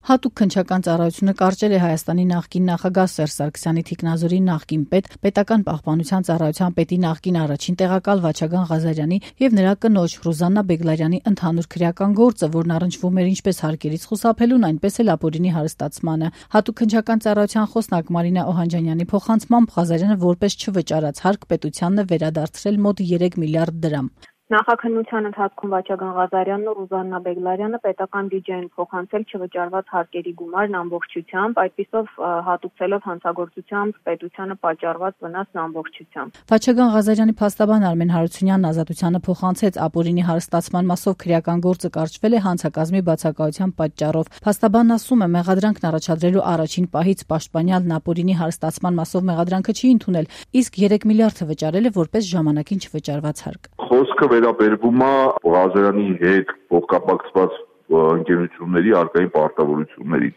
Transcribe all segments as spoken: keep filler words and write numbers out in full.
Հատուկ քննչական ծառայությունը կարճել է Հայաստանի նախկին նախագահ Սերժ Սարգսյանի թիկնազորի նախկին պետ, պետական պահպանության ծառայության պետի նախկին առաջին տեղակալ Վաչագան Ղազարյանի եւ նրա կնոջ Ռուզաննա Բեգլարյանի ընդհանուր քրեական գործը, որն առնչվում էր ինչպես հարկերից խուսափելուն, այնպես էլ ապօրինի հարստացմանը։ Հատուկ քննչական ծառայության խոսնակ Մարինա Օհանջանյանի փոխանցմամբ Ղազարյանը որպես չվճարած հարկ պետությանն է վերադարձրել մոտ երեք միլիարդ դրամ։ Նախաքննության ընթացքում Վաչագան Ղազարյանն ու Ռուզաննա Բեգլարյանը պետական բյուջեին փոխանցել չվճարված հարկերի գումարն ամբողջությամբ, այդպիսով հատուցելով հանցագործությամբ պետությանը պատճառված վնասն ամբողջությամբ։ Վաչագան Ղազարյանի փաստաբան Արմեն Հարությունյանն Ազատությանը փոխանցեց ապօրինի հարստացման մասով քրեական գործը կարճվել է հանցակազմի բացակայության պատճառով։ Փաստաբանն ասում է, մեղադրանքն առաջադրելու առաջին պահից պաշտպանյալն ապօրինի հարստացման մասով մեղադրանքը չի ընդունել, իսկ երեք միլիարդը վճարել է որպես ժամանակին չվճարված հարկ։ Խոսքը վերաբերվում է Ղազարյանի հետ փոխկապակցված ընկերությունների արկային պարտավորություններին։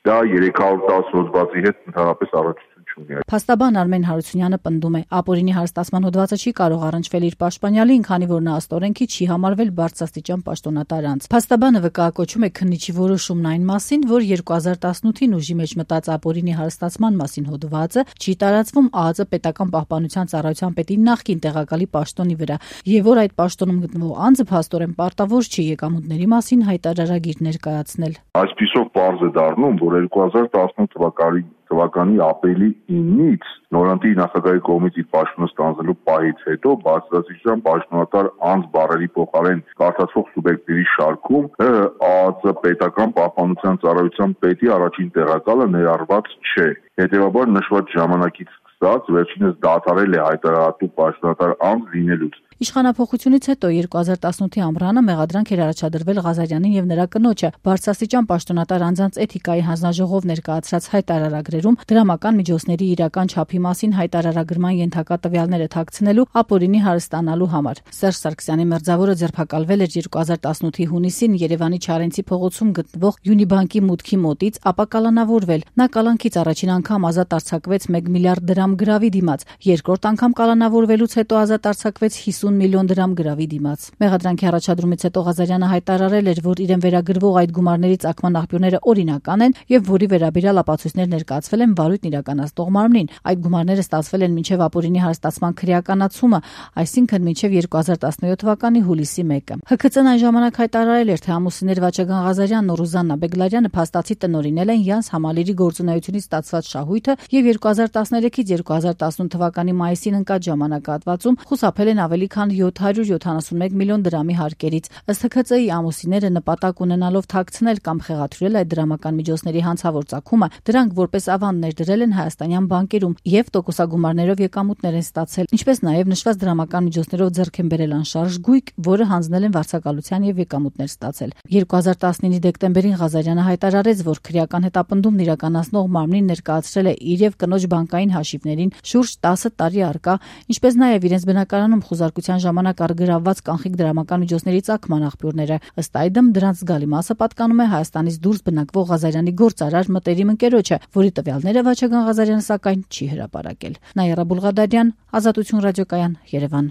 Դա երեք հարյուր տասը հոդվածի հետ ընդհանրապես առնչություն չունի։ Փաստաբան Արմեն Հարությունյանը պնդում է, ապօրինի հարստացման հոդվածը չի կարող առնչվել իր պաշտպանյալին, քանի որ նա ըստ օրենքի չի համարվել բարձրաստիճան պաշտոնատար անձ։ Փաստաբանը վկայակոչում է քննիչի որոշումն այն մասին, որ երկու հազար տասնութին ուժի մեջ մտած ապօրինի հարստացման մասին հոդվածը չի տարածվում ԱԱԾ պետական պահպանության ծառայության պետի նախկին տեղակալի պաշտոնի վրա, եւ որ այդ պաշտոնում գտնվող անձը փաստորեն պարտավոր չի եկամուտների մասին հայտարարագիր ներկայացնել։ Այսպիսով պարզ է դառնում, որ երկու հազար տասնութ թվականի թվականի ապրիլի իննից նորանտի նախագահի կողմից իր պաշտոնը ստանձնելու պահից հետո բարձրաստիճան պաշտոնատար անձ բառերի փոխարեն կարդացվող սուբյեկտների շարքում ԱԱԾ պետական պահպանության ծառայության պետի առաջին տեղակալը ներառված չէ։ Հետևաբար նշված ժամանակից սկսած վերջինս դադարել է հայտարարատու պաշտոնատար անձ լինելուց։ Իշխանափոխությունից հետո երկու հազար տասնութի ամռանը մեղադրանք էր առաջադրվել Ղազարյանին եւ նրա կնոջը բարձրաստիճան պաշտոնատար անձանց էթիկայի հանձնաժողով ներկայացրած հայտարարագրերում դրամական միջոցների իրական չափի մասին հայտարարագրման ենթակա տվյալները թաքցնելու ապօրինի հարստանալու համար։ Սերժ Սարգսյանի մերձավորը ձերբակալվել էր երկու հազար տասնութի հունիսին Երևանի Չարենցի փողոցում գտնվող Յունիբանկի մուտքի մոտից, ապա կալանավորվել։ Նա կալանքից առաջին անգամ ազատ արձակվեց մեկ միլիարդ դրամ գրավի դիմաց, երկրորդ անգամ կալանավորվելուց հետո ազատ արձակվեց հիսուն միլիոն դրամ գրավի դիմաց։ Մեղադրանքի առաջադրումից հետո Ղազարյանը հայտարարել էր, որ իրեն վերագրվող այդ գումարների ծագման աղբյուրները օրինական են եւ որի վերաբերյալ ապացույցներ ներկայացվել են վարույթն իրականացնող մարմնին։ Այդ գումարները ստացվել են մինչեւ ապօրինի հարստացման քրեականացումը, այսինքն մինչեւ երկու հազար տասնյոթ թվականի հուլիսի մեկը։ ՀՔԾ-ն այն ժամանակ հայտարարել էր, թե ամուսիններ Վաչագան Ղազարյանն ու Ռուզաննա Բեգլարյանը փաստացի տնօրինել են Յանս Համալիրի գործունեությունից ստացված շահույթը եւ երկու հազար տասներեքից երկու հազար տասնութ թվականի մայիսին ընկած ժամանակահատվածում խուսափել են ավելի քան յոթ հարյուր յոթանասունմեկ միլիոն դրամի հարկերից։ Ըստ ՀՔԾ-ի ամուսինները նպատակ ունենալով թաքցնել կամ խեղաթյուրել այդ դրամական միջոցների հանցավոր ծագումը, դրանք որպես ավանդ ներդրել են հայաստանյան բանկերում եւ տոկոսագումարներով եկամուտներ են ստացել, ինչպես նաեւ նշված դրամական միջոցներով ձեռք են բերել անշարժ գույք, որը հանձնել են վարձակալության եւ եկամուտներ ստացել։ երկու հազար տասնինի դեկտեմբերին Ղազարյանը հայտարարեց, որ քրեական հետապնդումն իրականացնող մարմնին ներկայացրել է իր եւ կնոջ բանկային հաշիվներին շուրջ տասը տարի առկա, ինչպես նաեւ իրենց բնակարանում խոզարկության ժամանակ արգրավված կանխիկ դրամական միջոցների ծագման աղբյուրները։ Ըստ այդմ դրանց զգալի մասը պատկանում է Հայաստանից դուրս բնակվող Ղազարյանի գործարար մտերիմ ընկերոջը, որի տվյալները Վաչագան Ղազարյանը սակայն չի հրապարակել։ Նաիրա Բուլղադարյան, Ազատություն ռադիոկայան, Երևան։